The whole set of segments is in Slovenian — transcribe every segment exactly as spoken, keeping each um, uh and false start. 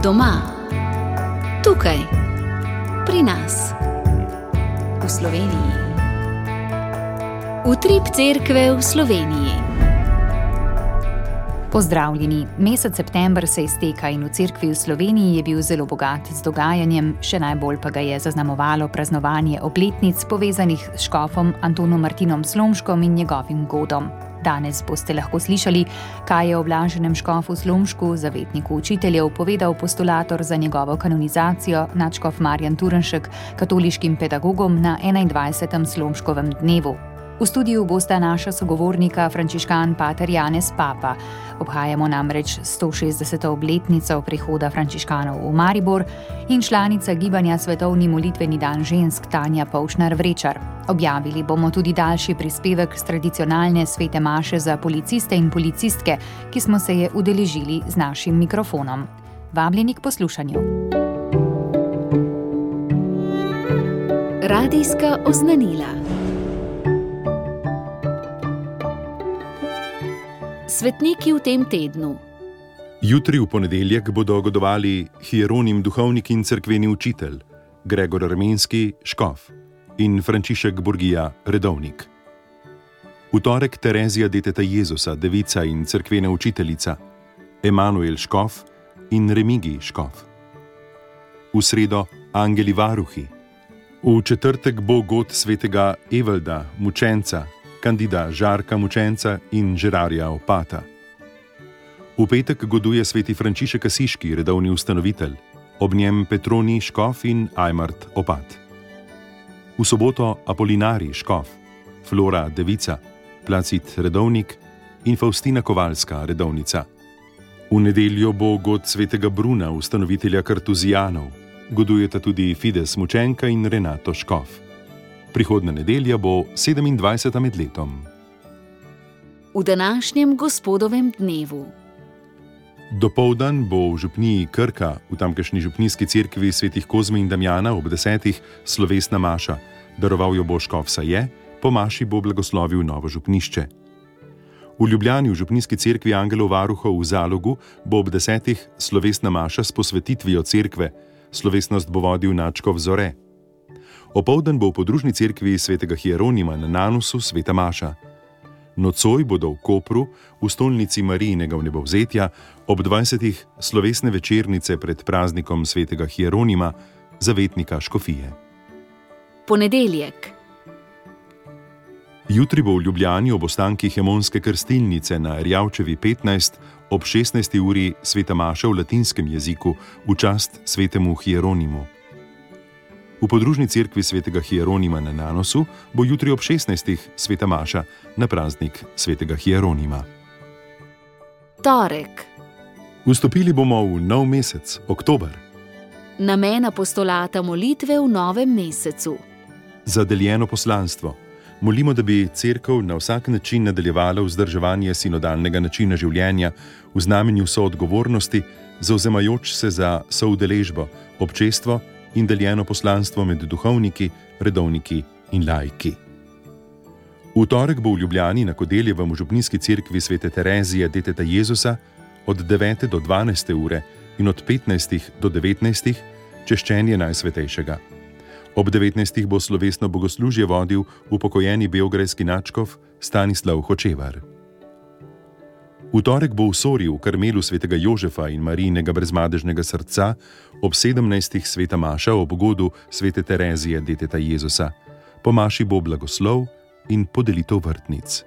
Doma, tukaj, pri nas, v Sloveniji. Utrip cerkve v Sloveniji. Pozdravljeni, mesec september se izteka in v cerkvi v Sloveniji je bil zelo bogat z dogajanjem, še najbolj pa ga je zaznamovalo praznovanje obletnic povezanih s škofom Antonom Martinom Slomškom in njegovim godom. Danes boste lahko slišali, kaj je o blaženem škofu Slomšku, zavetniku učiteljev, povedal postulator za njegovo kanonizacijo, nadškof Marjan Turnšek, katoliškim pedagogom na enaindvajsetem Slomškovem dnevu. V studiu bosta naša sogovornika frančiškan pater Janez Papa. Obhajamo namreč sto šestdeseto obletnico prihoda frančiškanov v Maribor in članica gibanja Svetovni molitveni dan žensk Tanja Povšnar-Vrečar. Objavili bomo tudi daljši prispevek s tradicionalne svete maše za policiste in policistke, ki smo se je udeležili z našim mikrofonom. Vabljeni k poslušanju. Radijska oznanila. Svetniki v tem tednu. Jutri v ponedeljek bodo godovali hieronim duhovnik in cerkveni učitelj, Gregor Armenski, škof, in Frančišek Burgija, redovnik. V torek Terezija deteta Jezusa, devica in cerkvena učiteljica, Emanuel škof in Remigij škof. V sredo angeli varuhi. V četrtek bo god svetega Evalda, mučenca, Kandida Žarka mučenca in Žerarja opata. V petek goduje sveti Frančišek Asiški, redovni ustanovitelj, ob njem Petroni škof in Ajmart opat. V soboto Apolinari škof, Flora devica, Placid redovnik in Faustina Kovalska redovnica. V nedeljo bo god svetega Bruna, ustanovitelja kartuzijanov, godujeta tudi Fides mučenka in Renato škof. Prihodna nedelja bo sedemindvajseta med letom. V današnjem gospodovem dnevu. Dopoldan bo v župniji Krka, v tamkajšnji župnijski cerkvi svetih Kozme in Damjana ob desetih slovesna maša. Daroval jo bo škof Saje, po maši bo blagoslovil novo župnišče. V Ljubljani v župnijski cerkvi angelov varuhov v Zalogu bo ob desetih slovesna maša s posvetitvijo cerkve. Slovesnost bo vodil nadškof Zore. Opoldan bo v podružni cerkvi svetega Hieronima na Nanusu sveta maša. Nocoj bodo v Kopru, v stolnici Marijinega vnebovzetja, ob dvajsetih slovesne večernice pred praznikom svetega Hieronima, zavetnika škofije. Ponedeljek. Jutri bo v Ljubljani ob ostankih Hemonske krstilnice na Erjavčevi petnajst ob šestnajsti uri sveta maša v latinskem jeziku v čast svetemu Hieronimu. V podružni cerkvi svetega Hieronima na Nanosu bo jutri ob šestnajstih sveta maša na praznik svetega Hieronima. Torek. Vstopili bomo v nov mesec, oktober. Namen apostolata molitve v novem mesecu. Za deljeno poslanstvo. Molimo, da bi cerkev na vsak način nadaljevala vzdrževanje sinodalnega načina življenja v znamenju soodgovornosti, zavzemajoč se za soudeležbo, občestvo in deljeno poslanstvo med duhovniki, redovniki in laiki. V torek bo v Ljubljani na Kodeljevem v župnijski cerkvi svete Terezije deteta Jezusa od devete do dvanajste ure in od petnajstih do devetnajstih češčenje Najsvetejšega. Ob devetnajstih bo slovesno bogoslužje vodil upokojeni beograjski nadškof Stanislav Hočevar. V torek bo v Sori v Karmelu svetega Jožefa in Marijinega brezmadežnega srca ob sedemnajstih sveta maša ob godu svete Terezije deteta Jezusa. Po maši bo blagoslov in podelitev vrtnic.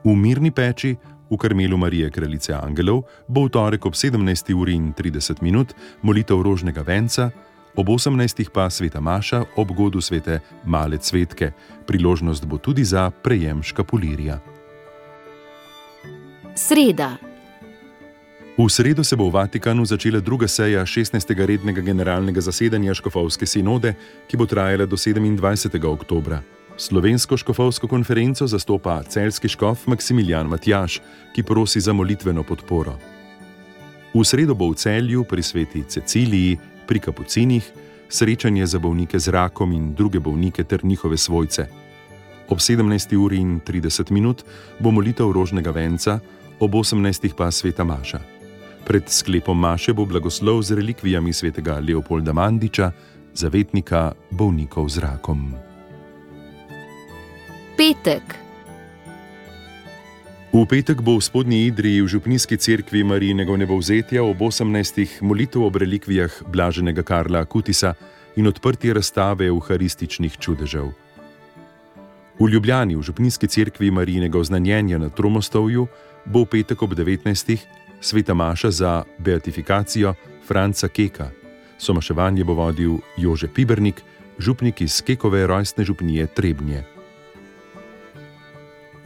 V Mirni peči v Karmelu Marije kraljice angelov bo v torek ob sedemnajsti uri in trideset minut molitev rožnega venca, ob osemnajstih pa sveta maša ob godu svete Male cvetke. Priložnost bo tudi za prejem škapulirja. Sreda. V sredo se bo v Vatikanu začela druga seja šestnajstega rednega generalnega zasedanja škofovske sinode, ki bo trajala do sedemindvajsetega oktobra. Slovensko škofovsko konferenco zastopa celjski škof Maksimilijan Matjaž, ki prosi za molitveno podporo. V sredo bo v Celju pri sveti Ceciliji, pri kapucinih, srečanje za bolnike z rakom in druge bolnike ter njihove svojce. Ob sedemnajsti uri in trideset minut bo molitev rožnega venca, ob osemnajstih pa sveta maša. Pred sklepom maše bo blagoslov z relikvijami svetega Leopolda Mandiča, zavetnika bolnikov z rakom. Petek. V petek bo v Spodnji Idriji v župnijski cerkvi Marijinega vnebovzetja ob osemnajstih molitev ob relikvijah blaženega Karla Akutisa in odprtje razstave euharističnih čudežev. V Ljubljani v župnijski cerkvi Marijinega oznanjenja na Tromostovju bo v petek ob devetnajstih sveta maša za beatifikacijo Franca Keka. Somaševanje bo vodil Jože Pibernik, župnik iz Kekove rojstne župnije Trebnje.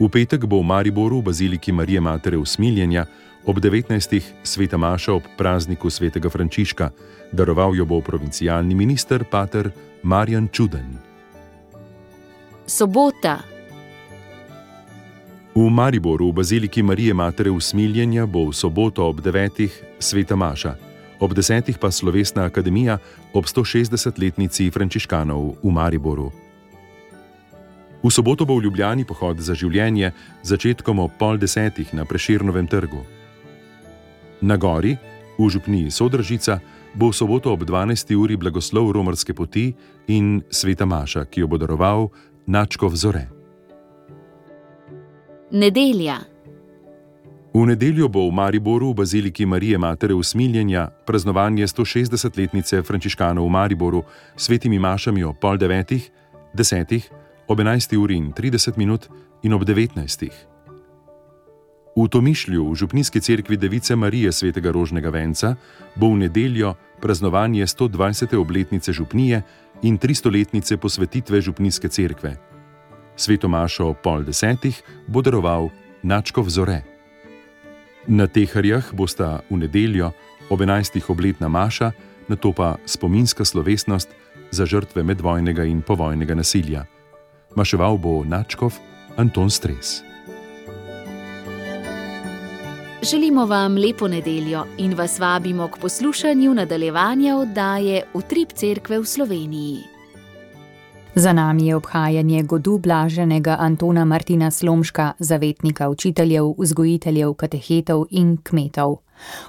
V petek bo v Mariboru v baziliki Marije Matere Usmiljenja ob devetnajstih sveta maša ob prazniku svetega Frančiška. Daroval jo bo provincialni minister pater Marjan Čuden. Sobota. V Mariboru v baziliki Marije Matere Usmiljenja bo v soboto ob devetih sveta maša, ob desetih pa slovesna akademija ob stošestdesetletnici frančiškanov v Mariboru. V soboto bo v Ljubljani pohod za življenje začetkom ob pol desetih na Prešernovem trgu. Na gori, v župniji Sodražica, bo v soboto ob dvanajsti uri blagoslov romarske poti in sveta maša, ki jo bo daroval nadškof Zore. Nedelja. V nedeljo bo v Mariboru v baziliki Marije Matere Usmiljenja praznovanje stošestdesetletnice frančiškanov v Mariboru s svetimi mašami ob pol devetih, desetih, ob enajsti uri in trideset minut in ob devetnajstih. V Tomišlju v župnijski cerkvi Device Marije svetega Rožnega venca bo v nedeljo praznovanje stodvajsete obletnice župnije in tristoletnice posvetitve župnijske cerkve. Sveto mašo ob pol desetih bo daroval nadškof Zore. Na Teharjah bosta v nedeljo ob enajstih obletna maša, nato pa spominska slovesnost za žrtve medvojnega in povojnega nasilja. Maševal bo nadškof Anton Stres. Želimo vam lepo nedeljo in vas vabimo k poslušanju nadaljevanja oddaje Utrip cerkve v Sloveniji. Za nami je obhajanje godu blaženega Antona Martina Slomška, zavetnika učiteljev, vzgojiteljev, katehetov in kmetov.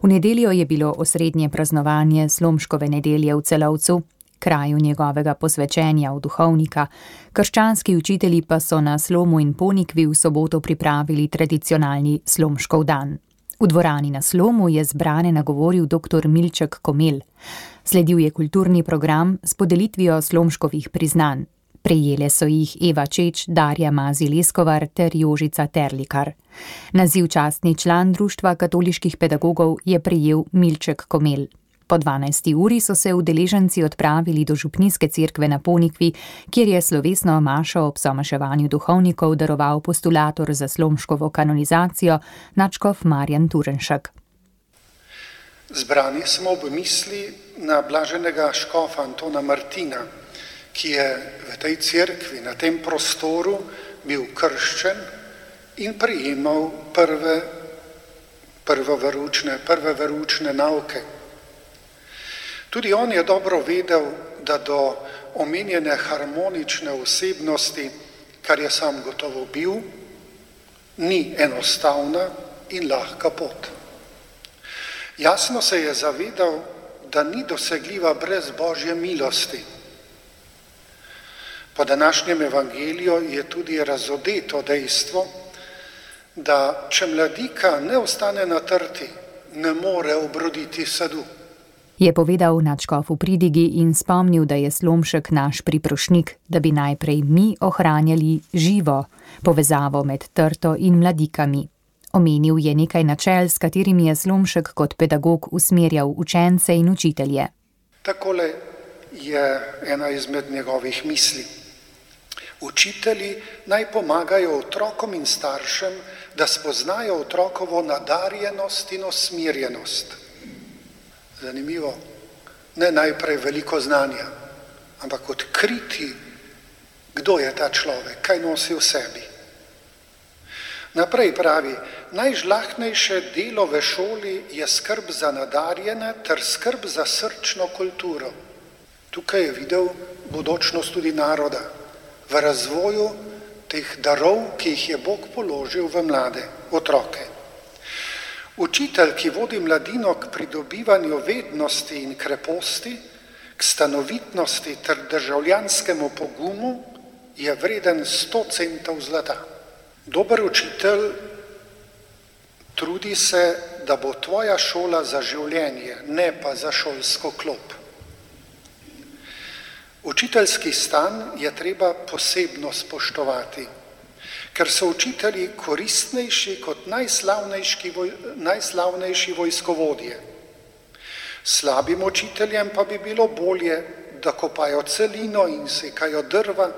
V nedeljo je bilo osrednje praznovanje Slomškove nedelje v Celovcu, kraju njegovega posvečenja v duhovnika. Krščanski učitelji pa so na Slomu in Ponikvi v soboto pripravili tradicionalni Slomškov dan. V dvorani na Slomu je zbrane nagovoril doktor Milček Komel. Sledil je kulturni program s podelitvijo Slomškovih priznanj. Prejele so jih Eva Čeč, Darja Mazi-Leskovar ter Jožica Terlikar. Naziv častni član Društva katoliških pedagogov je prejel Milček Komel. Po dvanajsti uri so se udeleženci odpravili do župnijske cerkve na Ponikvi, kjer je slovesno mašo ob somaševanju duhovnikov daroval postulator za Slomškovo kanonizacijo nadškof Marjan Turenšek. Zbrani smo ob misli na blaženega škofa Antona Martina, ki je v tej cerkvi, na tem prostoru bil krščen in prejemal prve, prve veroučne, prve veroučne nauke. Tudi on je dobro vedel, da do omenjene harmonične osebnosti, kar je sam gotovo bil, ni enostavna in lahka pot. Jasno se je zavedal, da ni dosegljiva brez Božje milosti. Po današnjem evangeliju je tudi razodeto dejstvo, da če mladika ne ostane na trti, ne more obroditi sadu. Je povedal nadškof v pridigi in spomnil, da je Slomšek naš priprošnik, da bi najprej mi ohranjali živo povezavo med trto in mladikami. Omenil je nekaj načel, s katerimi je Slomšek kot pedagog usmerjal učence in učitelje. Takole je ena izmed njegovih misli. Učitelji naj pomagajo otrokom in staršem, da spoznajo otrokovo nadarjenost in usmerjenost. Zanimivo, ne najprej veliko znanja, ampak odkriti, kdo je ta človek, kaj nosi v sebi. Naprej pravi, najžlahtnejše delo v šoli je skrb za nadarjene ter skrb za srčno kulturo. Tukaj je videl bodočnost tudi naroda, v razvoju teh darov, ki jih je Bog položil v mlade otroke. Učitelj, ki vodi mladino k pridobivanju vednosti in kreposti, k stanovitnosti ter državljanskemu pogumu, je vreden sto centov zlata. Dober učitelj trudi se, da bo tvoja šola za življenje, ne pa za šolsko klop. Učiteljski stan je treba posebno spoštovati, ker so učitelji koristnejši kot najslavnejši, voj, najslavnejši vojskovodje. Slabim učiteljem pa bi bilo bolje, da kopajo celino in sekajo drva,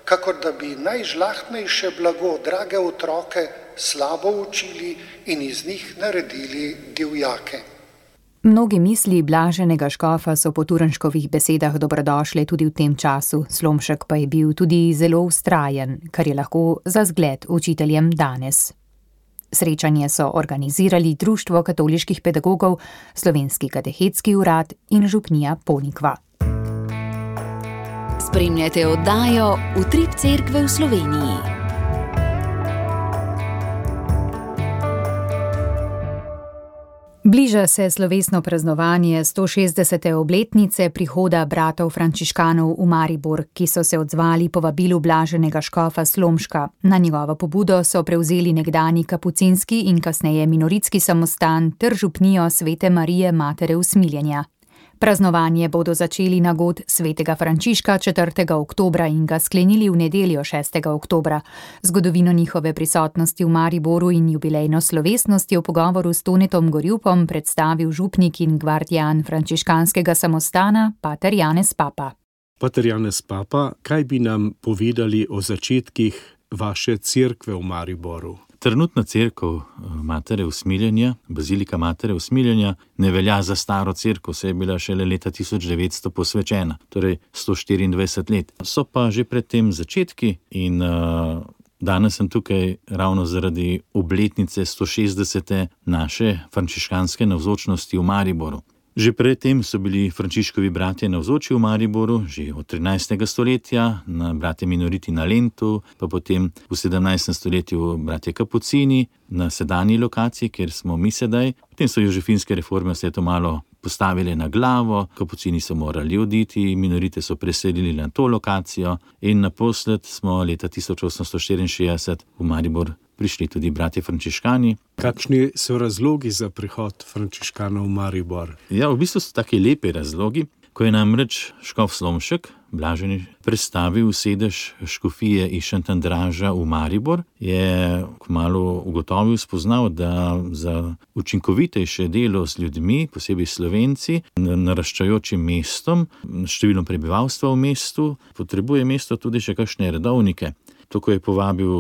kakor da bi najžlahtnejše blago, drage otroke, slabo učili in iz njih naredili divjake. Mnogi misli blaženega škofa so po Turnškovih besedah dobrodošle tudi v tem času, Slomšek pa je bil tudi zelo vztrajen, kar je lahko za zgled učiteljem danes. Srečanje so organizirali Društvo katoliških pedagogov, Slovenski katehetski urad in župnija Ponikva. Spremljate oddajo Utrip cerkve v Sloveniji. Bliža se slovesno praznovanje sto šestdesete obletnice prihoda bratov frančiškanov v Maribor, ki so se odzvali povabilu blaženega škofa Slomška. Na njegovo pobudo so prevzeli nekdani kapucinski in kasneje minoritski samostan ter župnijo Svete Marije Matere Usmiljenja. Praznovanje bodo začeli na god svetega Frančiška četrtega oktobra in ga sklenili v nedeljo šestega oktobra. Zgodovino njihove prisotnosti v Mariboru in jubilejno slovesnosti v pogovoru s Tonetom Gorjupom predstavil župnik in gvardijan frančiškanskega samostana, pater Janez Papa. Pater Janez Papa, kaj bi nam povedali o začetkih vaše cerkve v Mariboru? Trenutna cerkev Matere Usmiljenja, Bazilika Matere Usmiljenja, ne velja za staro cerkev, saj je bila šele leta tisoč devetsto posvečena, torej sto štiriindvajset let. So pa že pred tem začetki in uh, danes sem tukaj ravno zaradi obletnice sto šestdesete naše frančiškanske navzočnosti v Mariboru. Že predtem so bili Frančiškovi bratje navzoči v Mariboru, že od trinajstega stoletja, na bratje minoriti na Lentu, pa potem v sedemnajstem stoletju bratje Kapucini na sedanji lokaciji, kjer smo mi sedaj. Potem so jožefinske reforme vse to malo postavili na glavo, Kapucini so morali oditi, minorite so preselili na to lokacijo in naposled smo leta tisoč osemsto štiriinšestdeset v Maribor prišli tudi bratje frančiškani. Kakšni so razlogi za prihod frančiškanov v Maribor? Ja, v bistvu so taki lepi razlogi. Ko je namreč škof Slomšek, blaženi, predstavil sedež škofije iz Šentandraža v Maribor, je kmalu ugotovil, spoznal, da za učinkovitejše delo z ljudmi, posebej Slovenci, naraščajočim mestom, številom prebivalstva v mestu, potrebuje mesto tudi še kakšne redovnike. Tako je povabil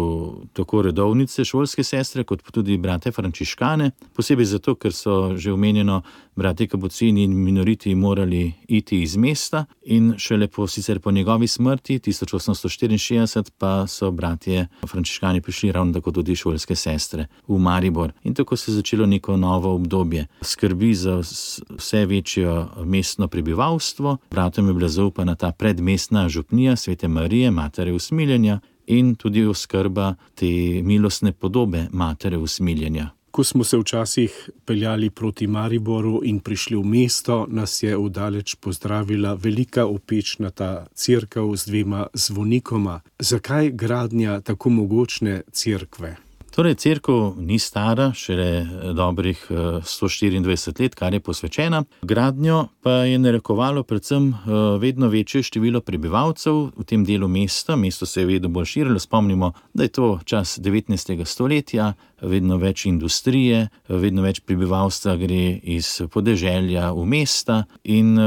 tako redovnice, šolske sestre, kot tudi brate frančiškane, posebej zato, ker so že omenjeno brate Kapucini in minoriti morali iti iz mesta in šele po, sicer po njegovi smrti, tisoč osemsto štiriinšestdeset, pa so bratje frančiškani prišli ravno tako tudi šolske sestre v Maribor. In tako se je začelo neko novo obdobje skrbi za vse večjo mestno prebivalstvo. Bratom je bila zaupana ta predmestna župnija Svete Marije Matere Usmiljenja in tudi oskrba te milostne podobe Matere Usmiljenja. Ko smo se včasih peljali proti Mariboru in prišli v mesto, nas je vdaleč pozdravila velika opečnata cerkev z dvema zvonikoma. Zakaj gradnja tako mogočne cerkve? Torej, cerkev ni stara, šele dobrih sto štiriindvajset let, kar je posvečena. Gradnjo pa je narekovalo predvsem vedno večje število prebivalcev v tem delu mesta. Mesto se je vedno bolj širilo. Spomnimo, da je to čas devetnajstega stoletja, vedno več industrije, vedno več prebivalstva gre iz podeželja v mesta in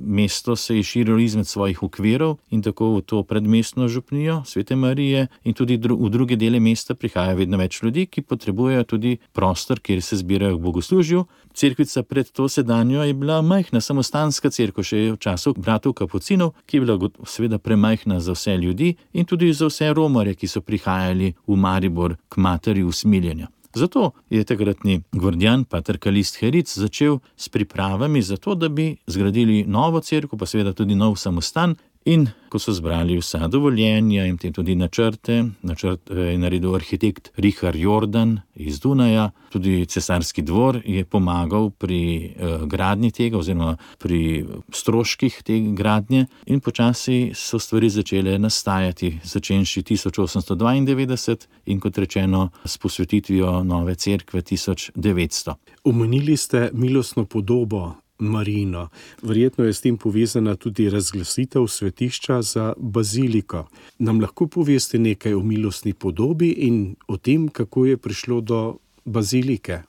mesto se je širilo izmed svojih okvirov in tako v to predmestno župnijo Svete Marije in tudi v druge dele mesta prihaja vedno več ljudi, ki potrebujejo tudi prostor, kjer se zbirajo k bogoslužju. Cerkvica pred to sedanjo je bila majhna samostanska cerkev, še v času bratov Kapucinov, ki je bila seveda premajhna za vse ljudi in tudi za vse romarje, ki so prihajali v Maribor k Materi Usmiljenja. Zato je takratni gvardijan, pater Kalist Heric, začel s pripravami za to, da bi zgradili novo cerkev, pa seveda tudi nov samostan In ko so zbrali vsa dovoljenja in tudi načrte, načrt je naredil arhitekt Richard Jordan iz Dunaja, tudi cesarski dvor je pomagal pri eh, gradnji tega oziroma pri stroških te gradnje in počasi so stvari začele nastajati, začenši tisoč osemsto dvaindevetdeset in kot rečeno s posvetitvijo nove cerkve tisoč devetsto. Omenili ste milostno podobo Marijino. Verjetno je s tem povezana tudi razglasitev svetišča za baziliko. Nam lahko poveste nekaj o milostni podobi in o tem, kako je prišlo do bazilike?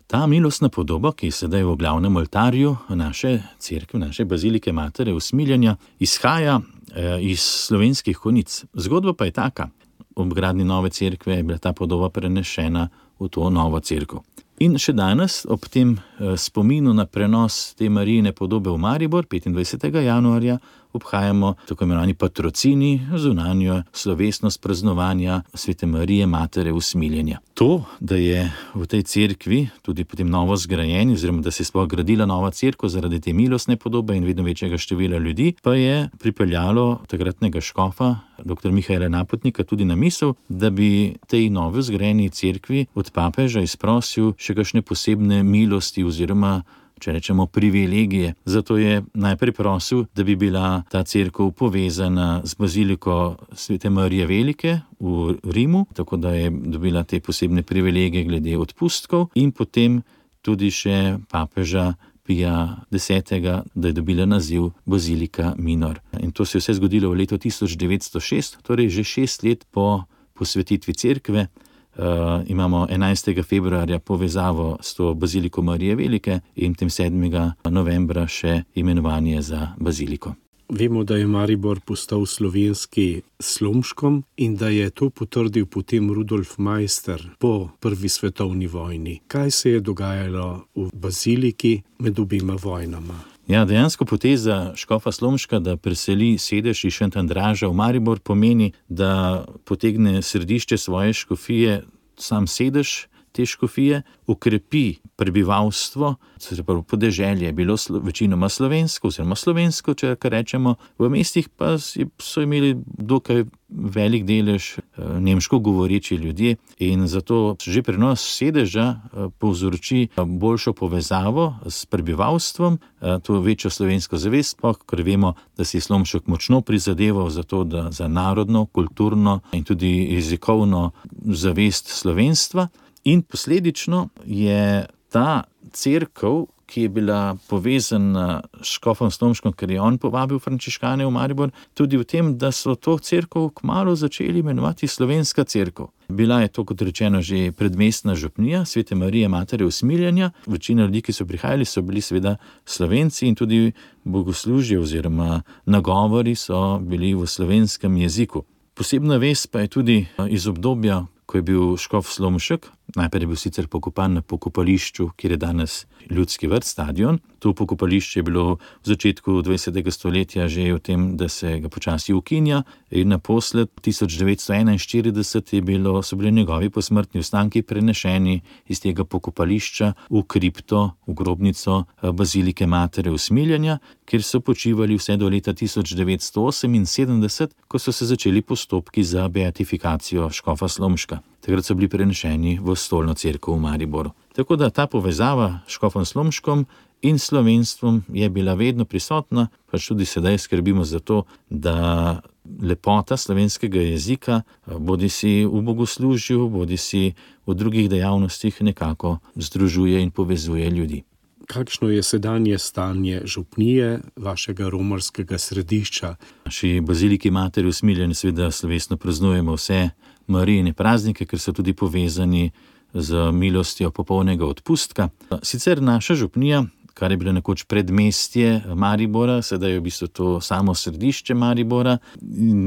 Ta milostna podoba, ki je sedaj v glavnem oltarju naše cerkve, naše bazilike Matere Usmiljenja, izhaja eh, iz slovenskih konic. Zgodba pa je taka. Ob gradnji nove cerkve je bila ta podoba prenešena v to novo cerkev. In še danes, ob tem eh, spominu na prenos te Marijine podobe v Maribor, petindvajsetega januarja, obhajamo tako imenovani patrocini, zunanjo slovesnost praznovanja Svete Marije Matere Usmiljenja. To, da je v tej cerkvi tudi potem novo zgrajeni, oziroma da se je sploh gradila nova cerkev zaradi te milostne podobe in vedno večjega števila ljudi, pa je pripeljalo takratnega škofa, doktor Mihaela Napotnika, tudi na misel, da bi tej novo zgrajeni cerkvi od papeža izprosil še kakšne posebne milosti oziroma, če rečemo, privilegije. Zato je najprej prosil, da bi bila ta cerkev povezana z baziliko Svete Marije Velike v Rimu, tako da je dobila te posebne privilegije glede odpustkov in potem tudi še papeža Pija desetega, da je dobila naziv Bazilika Minor. In to se je vse zgodilo v letu tisoč devetsto šest, torej že šest let po posvetitvi cerkve. Uh, imamo enajstega februarja povezavo s to baziliko Marije Velike in tem sedmega novembra še imenovanje za baziliko. Vemo, da je Maribor postal slovenski Slomškom in da je to potrdil potem Rudolf Meister po prvi svetovni vojni. Kaj se je dogajalo v baziliki med obima vojnama? Ja, dejansko poteza škofa Slomška, da preseli sedež iz Šentandraža v Maribor, pomeni, da potegne središče svoje škofije, sam sedež te škofije, ukrepi prebivalstvo, se pravi podeželje je bilo slo, večinoma slovensko, oziroma slovensko, če kar rečemo, v mestih pa so imeli dokaj velik delež nemško govoreči ljudje in zato že prenos sedeža povzroči boljšo povezavo s prebivalstvom, to večjo slovensko zavest, ker vemo, da si je Slomšek močno prizadeval za to, da za narodno, kulturno in tudi jezikovno zavest slovenstva. In posledično je ta cerkev, ki je bila povezana s škofom Slomškom, ker je on povabil frančiškane v Maribor, tudi v tem, da so to cerkev kmalu začeli imenovati slovenska cerkev. Bila je to, kot rečeno, že predmestna župnija Svete Marije Matere Usmiljenja. Večina ljudi, ki so prihajali, so bili seveda Slovenci in tudi bogoslužje oziroma nagovori so bili v slovenskem jeziku. Posebna vest pa je tudi iz obdobja, ko je bil škof Slomšek, najprej je bil sicer pokopan na pokopališču, kjer je danes Ljudski vrt, stadion. To pokopališče je bilo v začetku dvajsetega stoletja že v tem, da se ga počasi ukinja in naposled tisoč devetsto enainštirideset je bilo, so bili njegovi posmrtni ostanki prenešeni iz tega pokopališča v kripto, v grobnico bazilike Matere Usmiljenja, kjer so počivali vse do leta tisoč devetsto oseminsedemdeset, ko so se začeli postopki za beatifikacijo škofa Slomška. Takrat so bili prenešeni v stolno cerkev v Mariboru. Tako da ta povezava s škofom Slomškom in slovenstvom je bila vedno prisotna, pač tudi sedaj skrbimo za to, da lepota slovenskega jezika bodi si v bogoslužju, bodi si v drugih dejavnostih nekako združuje in povezuje ljudi. Kakšno je sedanje stanje župnije vašega romarskega središča? Naši baziliki Matere Usmiljenja seveda slovesno praznujemo vse Marijine praznike, ker so tudi povezani z milostjo popolnega odpustka. Sicer naša župnija, kar je bilo nekoč predmestje Maribora, sedaj je v bistvu to samo središče Maribora,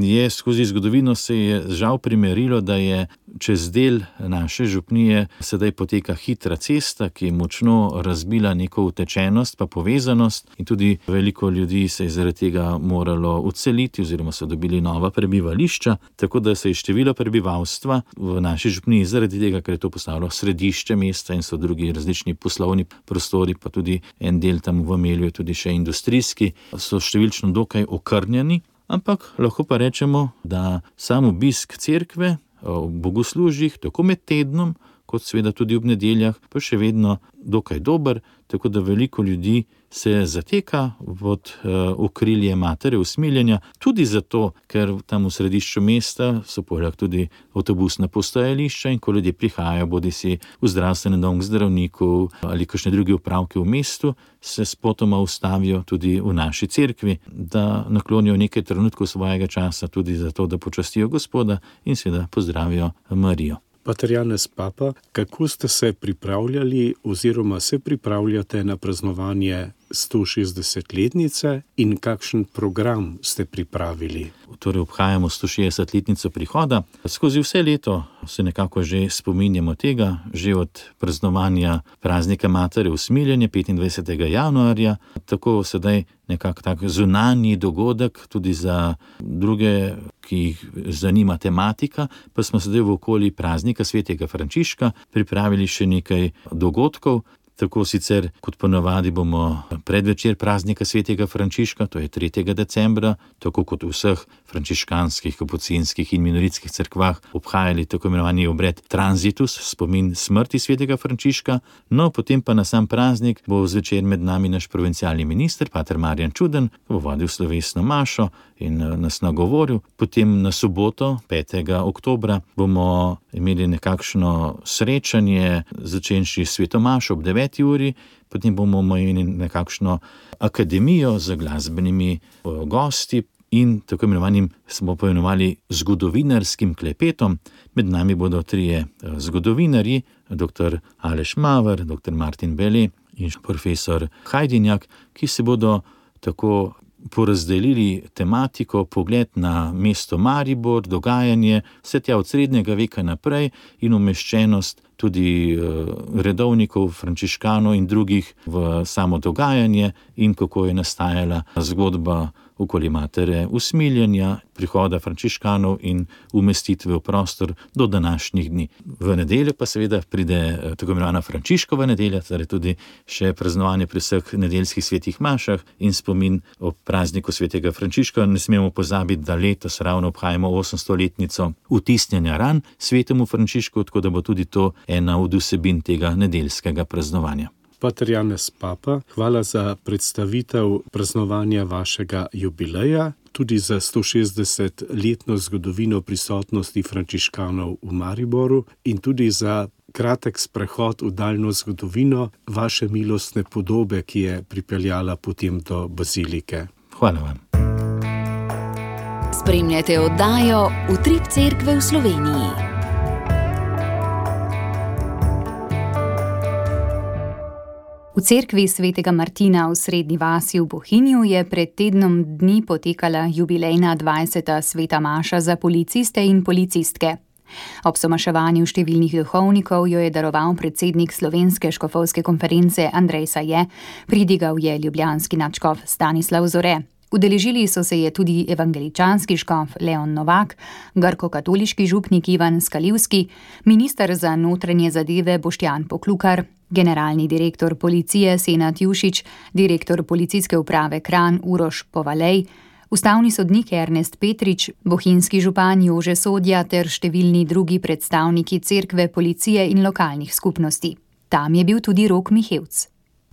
je skozi zgodovino se je žal primerilo, da je čez del naše župnije sedaj poteka hitra cesta, ki je močno razbila neko utečenost pa povezanost in tudi veliko ljudi se je zaradi tega moralo odseliti oziroma so dobili nova prebivališča, tako da se je število prebivalstva v naši župniji zaradi tega, ker je to postalo središče mesta in so drugi različni poslovni prostori, pa tudi en del tam v Melju je tudi še industrijski, so številčno dokaj okrnjeni, ampak lahko pa rečemo, da sam obisk cerkve v bogoslužjih, tako med tednom, kot seveda tudi ob nedeljah, pa še vedno dokaj dober, tako da veliko ljudi se zateka pod uh, okrilje Matere usmiljenja, tudi zato, ker tam v središču mesta so poleg tudi avtobusna postajališča in ko ljudje prihajajo, bodi si v zdravstveni dom k zdravniku ali kakšne druge opravke v mestu, se spotoma ustavijo tudi v naši cerkvi, da naklonijo nekaj trenutkov svojega časa tudi zato, da počastijo Gospoda in seveda pozdravijo Marijo. Pater Janez Papa, kako ste se pripravljali oziroma se pripravljate na praznovanje stošestdesetletnice in kakšen program ste pripravili? Torej obhajamo stošestdesetletnico prihoda. Skozi vse leto se nekako že spominjamo tega, že od praznovanja praznika Matere usmiljenja petindvajsetega januarja, tako sedaj nekako tak zunanji dogodek tudi za druge, ki jih zanima tematika, pa smo sedaj v okoli praznika svetega Frančiška pripravili še nekaj dogodkov. Tako sicer kot ponavadi bomo predvečer praznika svetega Frančiška, to je tretjega decembra, tako kot v vseh frančiškanskih, kapucinskih in minoritskih cerkvah obhajali tako imenovani obred transitus, spomin smrti svetega Frančiška. No, potem pa na sam praznik bo zvečer med nami naš provincialni minister, pater Marjan Čuden, bo vodil slovesno mašo in nas nagovoril. Potem na soboto, petega oktobra, bomo imeli nekakšno srečanje, začenši sveto mašo ob deveti uri, potem bomo imeli nekakšno akademijo z glasbenimi gosti in tako imenovanim smo poimenovali zgodovinarskim klepetom. Med nami bodo trije zgodovinarji, doktor Aleš Maver, doktor Martin Bele in profesor Hajdinjak, ki se bodo tako porazdelili tematiko, pogled na mesto Maribor, dogajanje, vse tja od srednjega veka naprej in umeščenost tudi redovnikov, frančiškanov in drugih v samo dogajanje in kako je nastajala zgodba okoli Matere usmiljenja, prihoda frančiškanov in umestitve v prostor do današnjih dni. V nedeljo pa seveda pride tako imenovana Frančiškova nedelja, torej tudi še praznovanje pri vseh nedeljskih svetih mašah in spomin o prazniku svetega Frančiška. Ne smemo pozabiti, da letos ravno obhajamo osemstoletnico vtisnjenja ran svetemu Frančišku, tako da bo tudi to ena od vsebin tega nedeljskega praznovanja. Pater Janez Papa, hvala za predstavitev praznovanja vašega jubileja, tudi za stošestdesetletno zgodovino prisotnosti frančiškanov v Mariboru in tudi za kratek sprehod v daljno zgodovino vaše milostne podobe, ki je pripeljala potem do bazilike. Hvala vam. Spremljate oddajo Utrip cerkve v Sloveniji. V cerkvi svetega Martina v Srednji vasi v Bohinju je pred tednom dni potekala jubilejna dvajseta sveta maša za policiste in policistke. Ob somaševanju številnih duhovnikov jo je daroval predsednik Slovenske škofovske konference Andrej Saje, pridigal je ljubljanski nadškof Stanislav Zore. Udeležili so se je tudi evangeličanski škof Leon Novak, grko-katoliški župnik Ivan Skalivski, minister za notranje zadeve Boštjan Poklukar, generalni direktor policije Senad Jušić, direktor policijske uprave Kranj Uroš Povalej, ustavni sodnik Ernest Petrič, bohinjski župan Jože Sodja ter številni drugi predstavniki cerkve, policije in lokalnih skupnosti. Tam je bil tudi Rok Mihevc.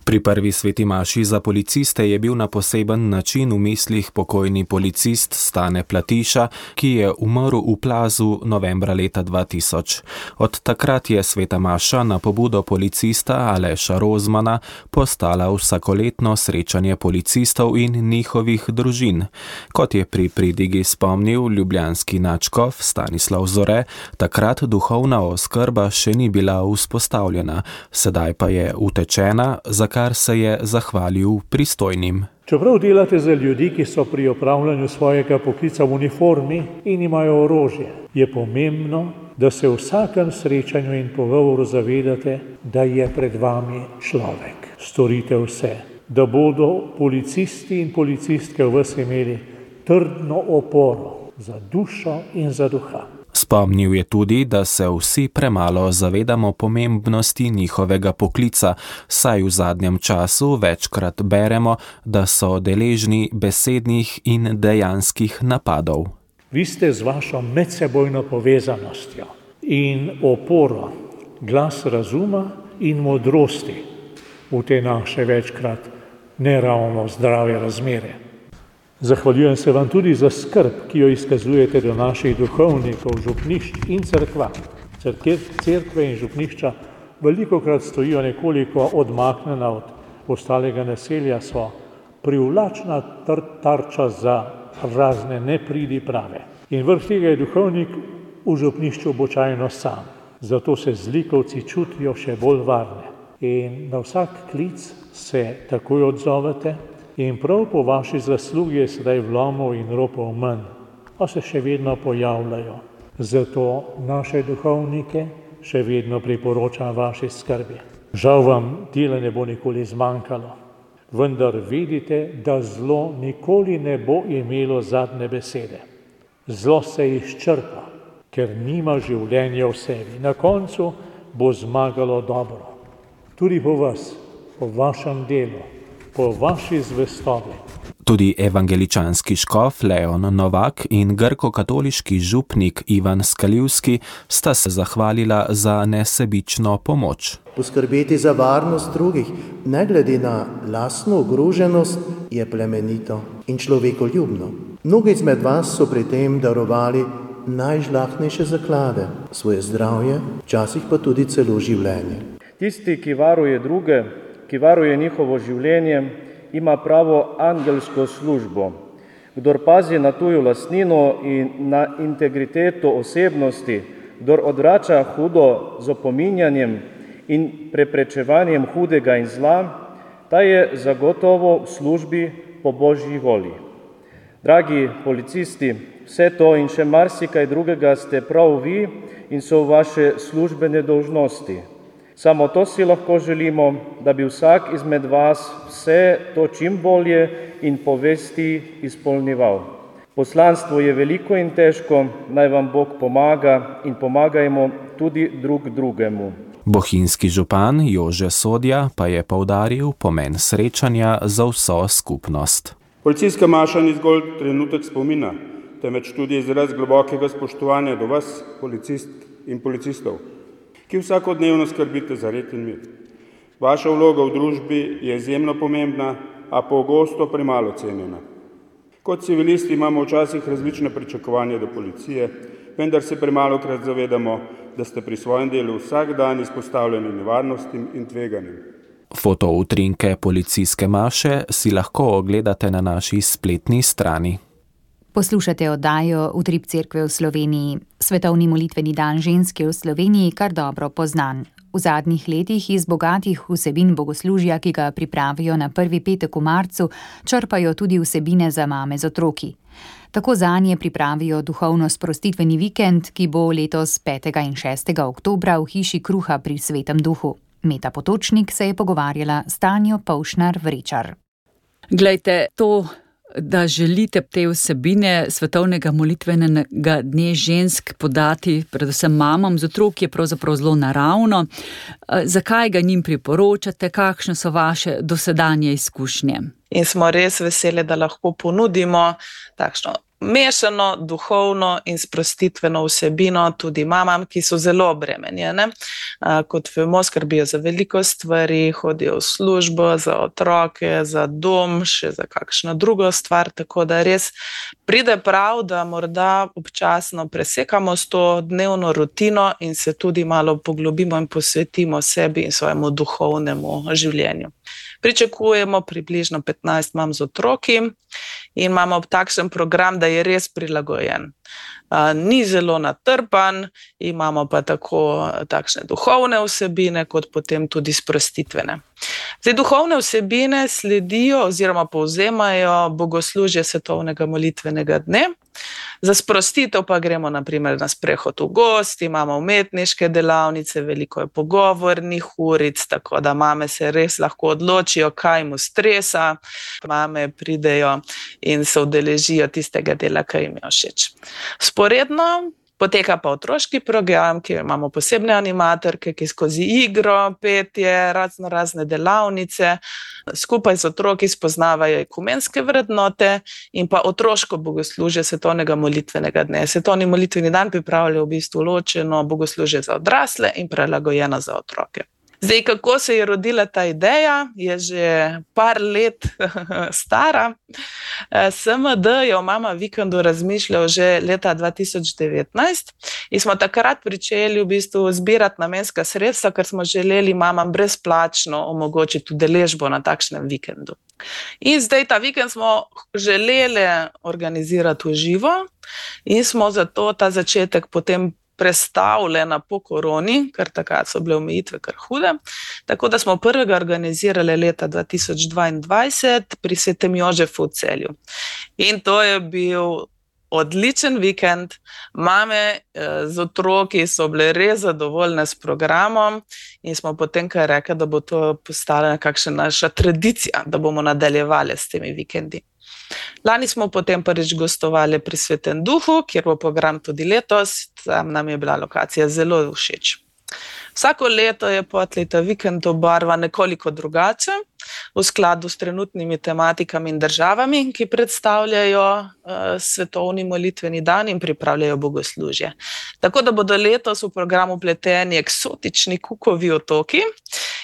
Pri prvi sveti maši za policiste je bil na poseben način v mislih pokojni policist Stane Platiša, ki je umrl v plazu novembra leta dva tisoč. Od takrat je sveta maša na pobudo policista Aleša Rozmana postala vsakoletno srečanje policistov in njihovih družin. Kot je pri pridigi spomnil ljubljanski nadškof Stanislav Zore, takrat duhovna oskrba še ni bila vzpostavljena, sedaj pa je utečena, za kar se je zahvalil pristojnim. Čeprav delate za ljudi, ki so pri opravljanju svojega poklica v uniformi in imajo orožje, je pomembno, da se v vsakem srečanju in pogovoru zavedate, da je pred vami človek. Storite vse, da bodo policisti in policistke v vas imeli trdno oporo za dušo in za duha. Spomnil je tudi, da se vsi premalo zavedamo pomembnosti njihovega poklica, saj v zadnjem času večkrat beremo, da so deležni besednih in dejanskih napadov. Vi ste z vašo medsebojno povezanostjo in oporo, glas razuma in modrosti v te naše večkrat neravno zdrave razmere. Zahvaljujem se vam tudi za skrb, ki jo izkazujete do naših duhovnikov, župnišč in cerkva. Cerkve in župnišča velikokrat stojijo nekoliko odmaknjena od ostalega naselja, so privlačna tarča za razne nepridiprave. In vrh tega je duhovnik v župnišču običajno sam. Zato se zlikovci čutijo še bolj varne. In na vsak klic se takoj odzovete in prav po vaši zaslugi je sedaj vlomov in ropov manj, a se še vedno pojavljajo. Zato naše duhovnike še vedno priporočam vaši skrbi. Žal vam dela ne bo nikoli zmanjkalo, vendar vedite, da zlo nikoli ne bo imelo zadnje besede. Zlo se izčrpa, ker nima življenja v sebi. Na koncu bo zmagalo dobro. Tudi po vas, po vašem delu, po vaši zvestobi. Tudi evangeličanski škof Leon Novak in grko-katoliški župnik Ivan Skaljivski sta se zahvalila za nesebično pomoč. Poskrbeti za varnost drugih, ne glede na lastno ogroženost, je plemenito in človekoljubno. Mnogi izmed vas so pri tem darovali najžlahtnejše zaklade, svoje zdravje, včasih pa tudi celo življenje. Tisti, ki varuje druge, ki varuje njihovo življenje, ima pravo angelsko službo. Kdor pazi na tujo lastnino in na integriteto osebnosti, kdor odvrača hudo z opominjanjem in preprečevanjem hudega in zla, ta je zagotovo v službi po Božji volji. Dragi policisti, vse to in še marsikaj drugega ste prav vi in so vaše službene dolžnosti. Samo to si lahko želimo, da bi vsak izmed vas vse to čim bolje in po vesti izpolnjeval. Poslanstvo je veliko in težko, naj vam Bog pomaga in pomagajmo tudi drug drugemu. Bohinjski župan Jože Sodja pa je poudaril pomen srečanja za vso skupnost. Policijska maša ni zgolj trenutek spomina, temveč tudi izraz globokega spoštovanja do vas, policist in policistov, ki vsakodnevno skrbite za red in mir. Vaša vloga v družbi je izjemno pomembna, a pogosto premalo cenjena. Kot civilisti imamo včasih različne pričakovanja do policije, vendar se premalokrat zavedamo, da ste pri svojem delu vsak dan izpostavljeni nevarnostim in tveganjem. Fotoutrinke policijske maše si lahko ogledate na naši spletni strani. Poslušate oddajo Utrip cerkve v Sloveniji. Svetovni molitveni dan žensk je v Sloveniji kar dobro poznan. V zadnjih letih iz bogatih vsebin bogoslužja, ki ga pripravijo na prvi petek v marcu, črpajo tudi vsebine za mame z otroki. Tako zanje pripravijo duhovno sprostitveni vikend, ki bo letos petega in šestega oktobra v hiši Kruha pri Svetem duhu. Meta Potočnik se je pogovarjala s Tanjo Pavšnar-Vrečar. Glejte, to, da želite te vsebine svetovnega molitvenega dne žensk podati predvsem mamam z otroki, je pravzaprav zelo naravno. Zakaj ga njim priporočate, kakšne so vaše dosedanje izkušnje? In smo res veseli, da lahko ponudimo takšno mešano, duhovno in sprostitveno vsebino tudi mamam, ki so zelo obremenjene. Kot vemo, skrbijo za veliko stvari, hodijo v službo, za otroke, za dom, še za kakšno drugo stvar, tako da res pride prav, da morda občasno presekamo s to dnevno rutino in se tudi malo poglobimo in posvetimo sebi in svojemu duhovnemu življenju. Pričakujemo približno petnajst mam z otroki in imamo takšen program, da je res prilagojen. Ni zelo natrpan, imamo pa tako takšne duhovne vsebine, kot potem tudi sprostitvene. Zdaj, duhovne vsebine sledijo oziroma povzemajo bogoslužje svetovnega molitvenega dne. Za sprostitev pa gremo na primer na sprehod v gozd, imamo umetniške delavnice, veliko je pogovornih uric, tako da mame se res lahko odločijo, kaj mu stresa. Mame pridejo in se udeležijo tistega dela, ki jim je všeč. Sporedno Poteka pa otroški program, kjer imamo posebne animatorke, ki skozi igro, petje, razno razne delavnice, skupaj z otroki spoznavajo ekumenske vrednote in pa otroško bogoslužje svetovnega molitvenega dne. Svetovni molitveni dan pripravljajo v bistvu ločeno bogoslužje za odrasle in prilagojeno za otroke. Zdaj, kako se je rodila ta ideja, je že par let stara. S M D je o Mama vikendu razmišljal že leta dva tisoč devetnajst in smo takrat pričeli v bistvu zbirati namenska sredstva, ker smo želeli mamam brezplačno omogočiti udeležbo na takšnem vikendu. In zdaj ta vikend smo želeli organizirati v živo in smo zato ta začetek potem prestavljena po koroni, ker takrat so bile omejitve kar hude. Tako da smo prvega organizirali leta dva tisoč dvaindvajset pri Svetem Jožefu v Celju. In to je bil odličen vikend. Mame z otroki so bile res zadovoljne s programom in smo potem kar rekli, da bo to postala nekakšna naša tradicija, da bomo nadaljevali s temi vikendi. Lani smo potem prvič gostovali pri Svetem Duhu, kjer bo program tudi letos. Tam nam je bila lokacija zelo všeč. Vsako leto je potleta vikend obarva nekoliko drugače, v skladu s trenutnimi tematikami in državami, ki predstavljajo uh, svetovni molitveni dan in pripravljajo bogoslužje. Tako da bodo letos v programu pleteni eksotični Kukovi otoki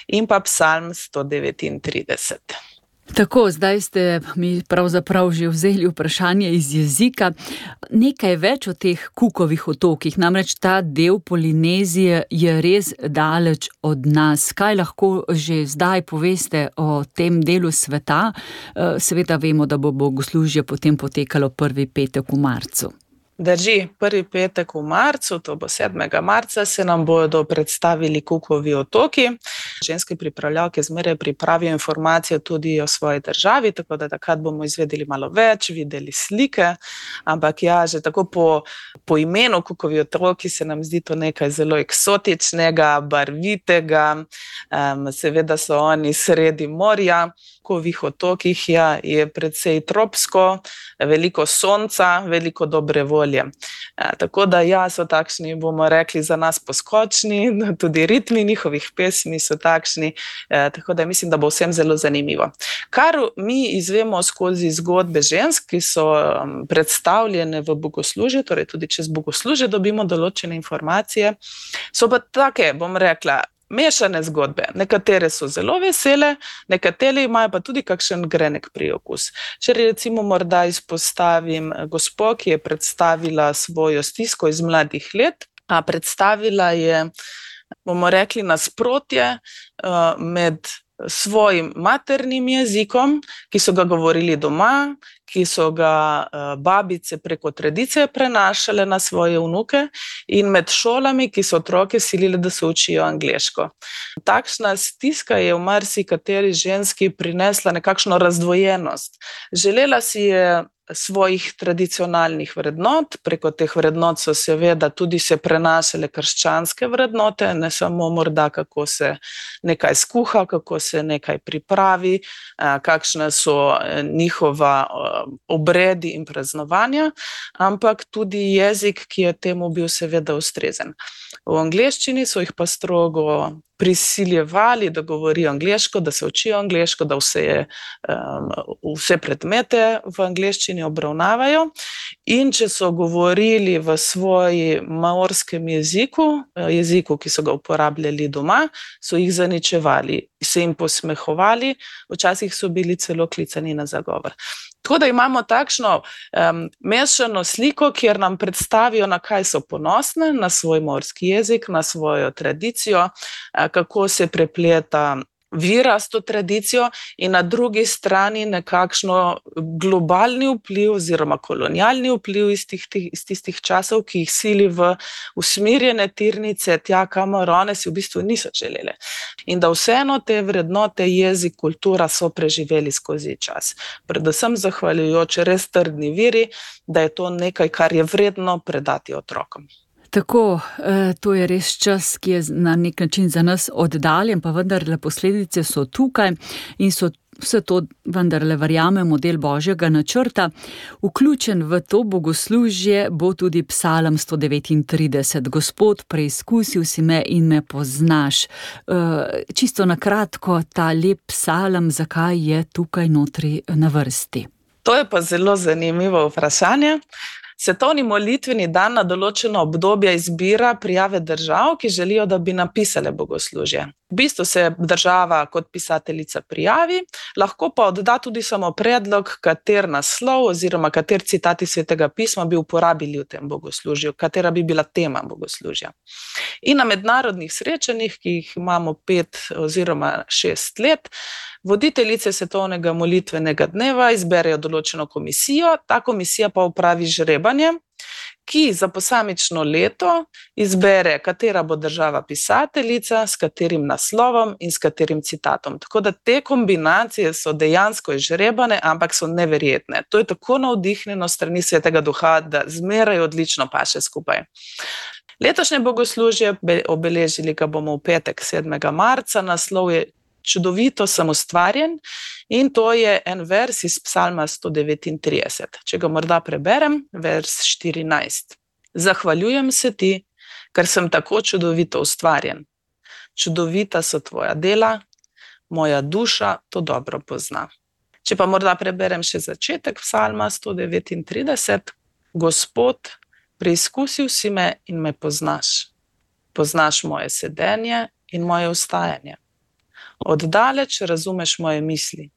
in pa Psalm sto devetintrideset. Tako, zdaj ste mi pravzaprav že vzeli vprašanje iz jezika. Nekaj več o teh Kukovih otokih, namreč ta del Polinezije je res daleč od nas. Kaj lahko že zdaj poveste o tem delu sveta? Seveda vemo, da bo bogoslužje potem potekalo prvi petek v marcu. Drži, prvi petek v marcu, to bo sedmega marca, se nam bodo predstavili Kukovi otoki. Ženske pripravljalke zmeraj pripravijo informacije tudi o svoji državi, tako da takrat bomo izvedeli malo več, videli slike, ampak ja, že tako po, po imenu Kukovi otoki se nam zdi to nekaj zelo eksotičnega, barvitega, um, seveda so oni sredi morja. Kukovih otokih ja, je precej tropsko, veliko sonca, veliko dobre volje. E, tako da ja, so takšni, bomo rekli, za nas poskočni, tudi ritmi njihovih pesmi so takšni, e, tako da mislim, da bo vsem zelo zanimivo. Kar mi izvemo skozi zgodbe žensk, ki so um, predstavljene v bogoslužje, torej tudi čez bogoslužje dobimo določene informacije, so pa take, bom rekla, mešane zgodbe. Nekatere so zelo vesele, nekatere imajo pa tudi kakšen grenek priokus. Če recimo morda izpostavim gospo, ki je predstavila svojo stisko iz mladih let, a predstavila je, bomo rekli, nasprotje uh, med svojim maternim jezikom, ki so ga govorili doma, ki so ga babice preko tradicije prenašale na svoje vnuke in med šolami, ki so otroke silile, da se učijo angleško. Takšna stiska je v marsikateri ženski prinesla nekakšno razdvojenost. Želela si je svojih tradicionalnih vrednot, preko teh vrednot so seveda tudi se prenašale krščanske vrednote, ne samo morda kako se nekaj skuha, kako se nekaj pripravi, kakšne so njihova obredi in praznovanja, ampak tudi jezik, ki je temu bil seveda ustrezen. V angleščini so jih pa strogo prisiljevali, da govorijo angleško, da se učijo angleško, da vse, um, vse predmete v angleščini obravnavajo. In če so govorili v svoji maorskem jeziku, jeziku, ki so ga uporabljali doma, so jih zaničevali, se jim posmehovali, včasih so bili celo klicani na zagovor. Tako da imamo takšno um, mešano sliko, kjer nam predstavijo, na kaj so ponosne, na svoj morski jezik, na svojo tradicijo, kako se prepleta vira s to tradicijo in na drugi strani nekakšno globalni vpliv oziroma kolonialni vpliv iz, tih, iz tistih časov, ki jih sili v usmirjene tirnice tja, kamor one si v bistvu niso želele. In da vseeno te vrednote, jezik, kultura so preživeli skozi čas. Predvsem zahvaljujoč res trdni viri, da je to nekaj, kar je vredno predati otrokom. Tako, to je res čas, ki je na nek način za nas oddaljen, pa vendarle posledice so tukaj in so vse to vendarle verjamemo del Božjega načrta. Vključen v to bogoslužje bo tudi psalm sto devetintrideset. Gospod, preizkusil si me in me poznaš. Čisto na kratko, ta lep psalm, zakaj je tukaj notri na vrsti? To je pa zelo zanimivo vprašanje. Svetovni molitveni dan na določeno obdobje izbira prijave držav, ki želijo, da bi napisale bogoslužje. V bistvu se država kot pisateljica prijavi, lahko pa odda tudi samo predlog, kater naslov oziroma kater citati Svetega pisma bi uporabili v tem bogoslužju, katera bi bila tema bogoslužja. In na mednarodnih srečanjih, ki jih imamo pet oziroma šest let, voditeljice Svetovnega molitvenega dneva izberejo določeno komisijo, ta komisija pa upravi žrebanje, ki za posamično leto izbere, katera bo država pisateljica, s katerim naslovom in s katerim citatom. Tako da te kombinacije so dejansko izžrebane, ampak so neverjetne. To je tako navdihnjeno strani Svetega Duha, da zmeraj odlično paše skupaj. Letošnje bogoslužje, obeležili ga bomo v petek sedmega marca, naslov je Čudovito sem ustvarjen in to je en vers iz psalma sto devetintrideset. Če ga morda preberem, vers štirinajst. Zahvaljujem se ti, ker sem tako čudovito ustvarjen. Čudovita so tvoja dela, moja duša to dobro pozna. Če pa morda preberem še začetek psalma sto devetintrideset. Gospod, preizkusil si me in me poznaš. Poznaš moje sedenje in moje vstajanje. Oddaleč razumeš moje misli,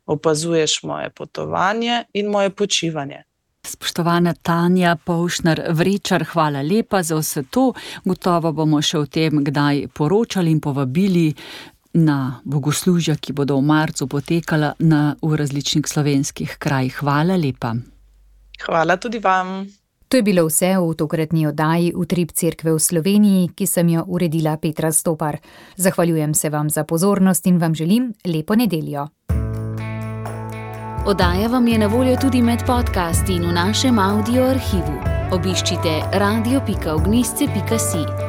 opazuješ moje potovanje in moje počivanje. Spoštovana Tanja Povšner-Vrečar, hvala lepa za vse to. Gotovo bomo še o tem kdaj poročali in povabili na bogoslužja, ki bodo v marcu potekala na, v različnih slovenskih krajih. Hvala lepa. Hvala tudi vam. To je bilo vse v tokratni oddaji Utrip Cerkve v Sloveniji, ki sem jo uredila Petra Stopar. Zahvaljujem se vam za pozornost in vam želim lepo nedeljo. Oddaja vam je na voljo tudi med podcasti in v našem audio arhivu. Obiščite radio pika ognjišče pika si.